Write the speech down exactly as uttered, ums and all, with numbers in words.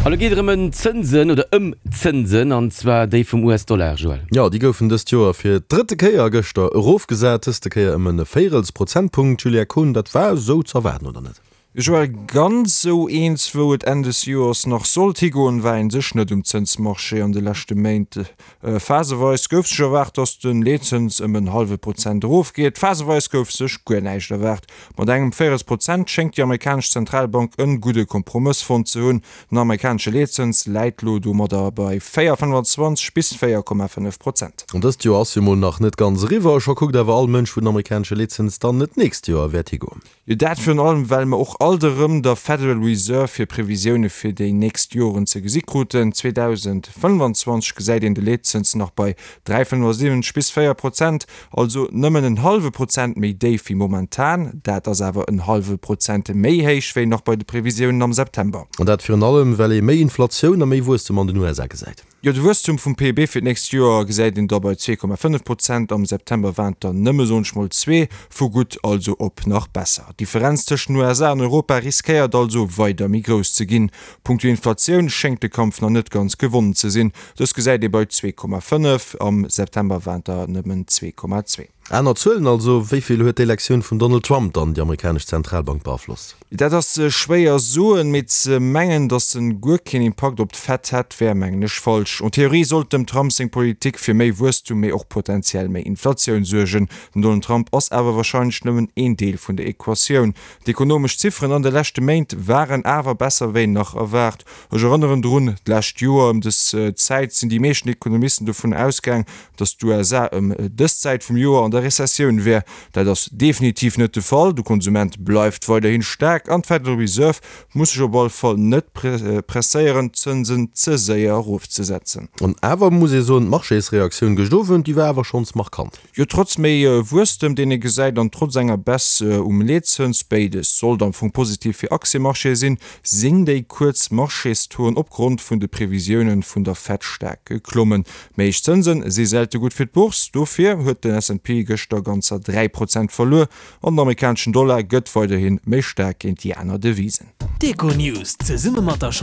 An lo geet et erëm ëm Zënsen oder ëm Zënsen, an zwar déi vum U S-Dollar, Joël. Jo, déi goufen dëst Joer fir d'drëtte Kéier gëschter erofgesat, dëste Kéier ëm e Véirels Prozentpunkt. Julia Kohn, dat war esou z'erwaarden, oder net? Joël, ganz esou eens, wou et Enn des Joers nach sollt higoen, war een sech net um Zënsmarché an de leschte Méint. Phaseweis gouf sech erwaart, datt de Leetzëns ëm en hallwe Prozent erofgeet, phaseweis gouf sech guer näischt erwaart. Mat engem Véirels Prozent schéngt déi amerikanesch Zentralbank en gudde Kompromëss fonnt ze hunn. Den amerikanesche Leetzëns läit lo domadder bei véier fënnefanzwanzeg bis véier Komma fënnef Prozent. An dëst Joer ass jo mol nach net ganz eriwwer, scho kuckt awer all Mënsch, wou den amerikanesche Leetzëns dann net d'nächst Joer wäert higoen. Jo, dat virun allem, well mer och alt erëm der Federal Reserve hir Previsioune fir déi nächst Joren ze gesi kruten. zweedausendfënnfanzwanzeg gesäit een de Leetzëns nach bei dräi fënnefasiwwenzeg bis véier Prozent, also nëmmen en hallwe Prozent méi déif wéi momentan. Dat ass awer en hallwe Prozent méi héich wéi nach bei de Previsiounen am September. An dat virun allem, well ee méi Inflatioun a méi Wuesstem an den U S A gesäit. Jo, de Wuesstum vum P I B fir d'nächst Joer gesäit een da bei zwee Komma fënnef Prozent, am September waren et der nëmme, soen ech mol, zwee, vu gutt also op nach besser. D'Differenz tëschent den U S A an Europa riskéiert also weider méi grouss ze ginn. Punkto Inflatioun schéngt de Kampf nach net ganz gewonnen ze sinn, dës gesäit ee bei zwee Komma fënnef, am September waren et der nëmmen zwee Komma zwee. Aner Zuelen also, Wéi vill huet d'Elektioun vum Donald Trump dann déi amerikanesch Zentralbank beaflosst? Dat ass schwéier soen, mee ze mengen, datt en guer keen Impakt op d'Fed hätt, wär, mengen ech, falsch. En Theorie sollt dem Trump seng Politik fir méi Wuesstum, mee och potenziell méi Inflatioun suergen. Den Donald Trump ass awer warscheinlech nëmmen een Deel vun der Equatioun. D'ekonomesch Zifferen an de leschte Méint waren awer besser wéi nach erwaart. Ech erënneren drun, d'lescht Joer ëm dës Zäit sinn déi meeschten Ekonomisten dovun ausgaang, datt d'U S A ëm dës Zäit vum Joer an der Rezessioun wär. Dat ass definitiv net de Fall, de Konsument bleift weiderhin staark an d'Federal Reserve muss sech op alle Fall net presséieren, d'Zënsen ze séier erofzesetzen. An awer muss ee soen, d'Marchésreaktioun gëscht Owend, déi war awer schonns markant. Jo, trotz méi Wuesstem, deen ee gesäit, an trotz enger Baisse um Leetzëns, béides sollt am Fong positiv fir Aktiemarchéë sinn, sinn déi kuerz Marchés-Tauxen opgrond vun de Previsioune vun der Fed staark geklommen. Méi héich Zënse si selte gutt fir d'Bourse, dofir huet den S and P gëschter ganzer dräi Prozent verluer an den amerikaneschen Dollar gëtt weiderhi méi staark géint déi aner Devisen. D'Econews zesumme mat der